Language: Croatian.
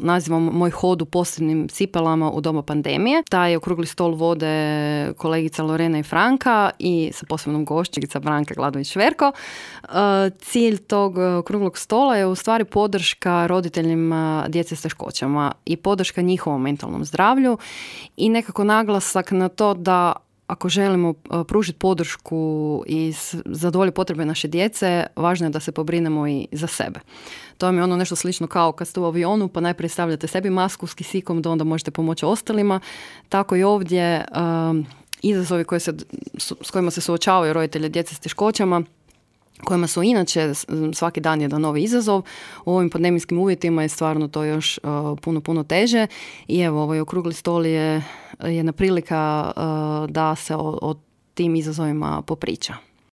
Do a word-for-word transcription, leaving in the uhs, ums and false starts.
nazivam moj hod u posebnim cipelama u doba pandemije. Taj okrugli stol vode kolegica Lorena i Franka i sa posebnom gošćica Branka Gladović-Šverko. Cilj tog okruglog stola je u stvari podrška roditeljima djece s teškoćama i podrška njihovom mentalnom zdravlju i nekako naglasak na to da ako želimo pružiti podršku i zadovoljiti potrebe naše djece, važno je da se pobrinemo i za sebe. To vam je ono nešto slično kao kad ste u avionu, pa najprije stavljate sebi masku s kisikom, da onda možete pomoći ostalima. Tako i ovdje um, izazovi koje se, s kojima se suočavaju roditelji djece s teškoćama, kojima su inače svaki dan jedan novi izazov. U ovim pandemijskim uvjetima je stvarno to još uh, puno, puno teže. I evo, ovaj okrugli stol je jedna prilika uh, da se o, o tim izazovima popriča.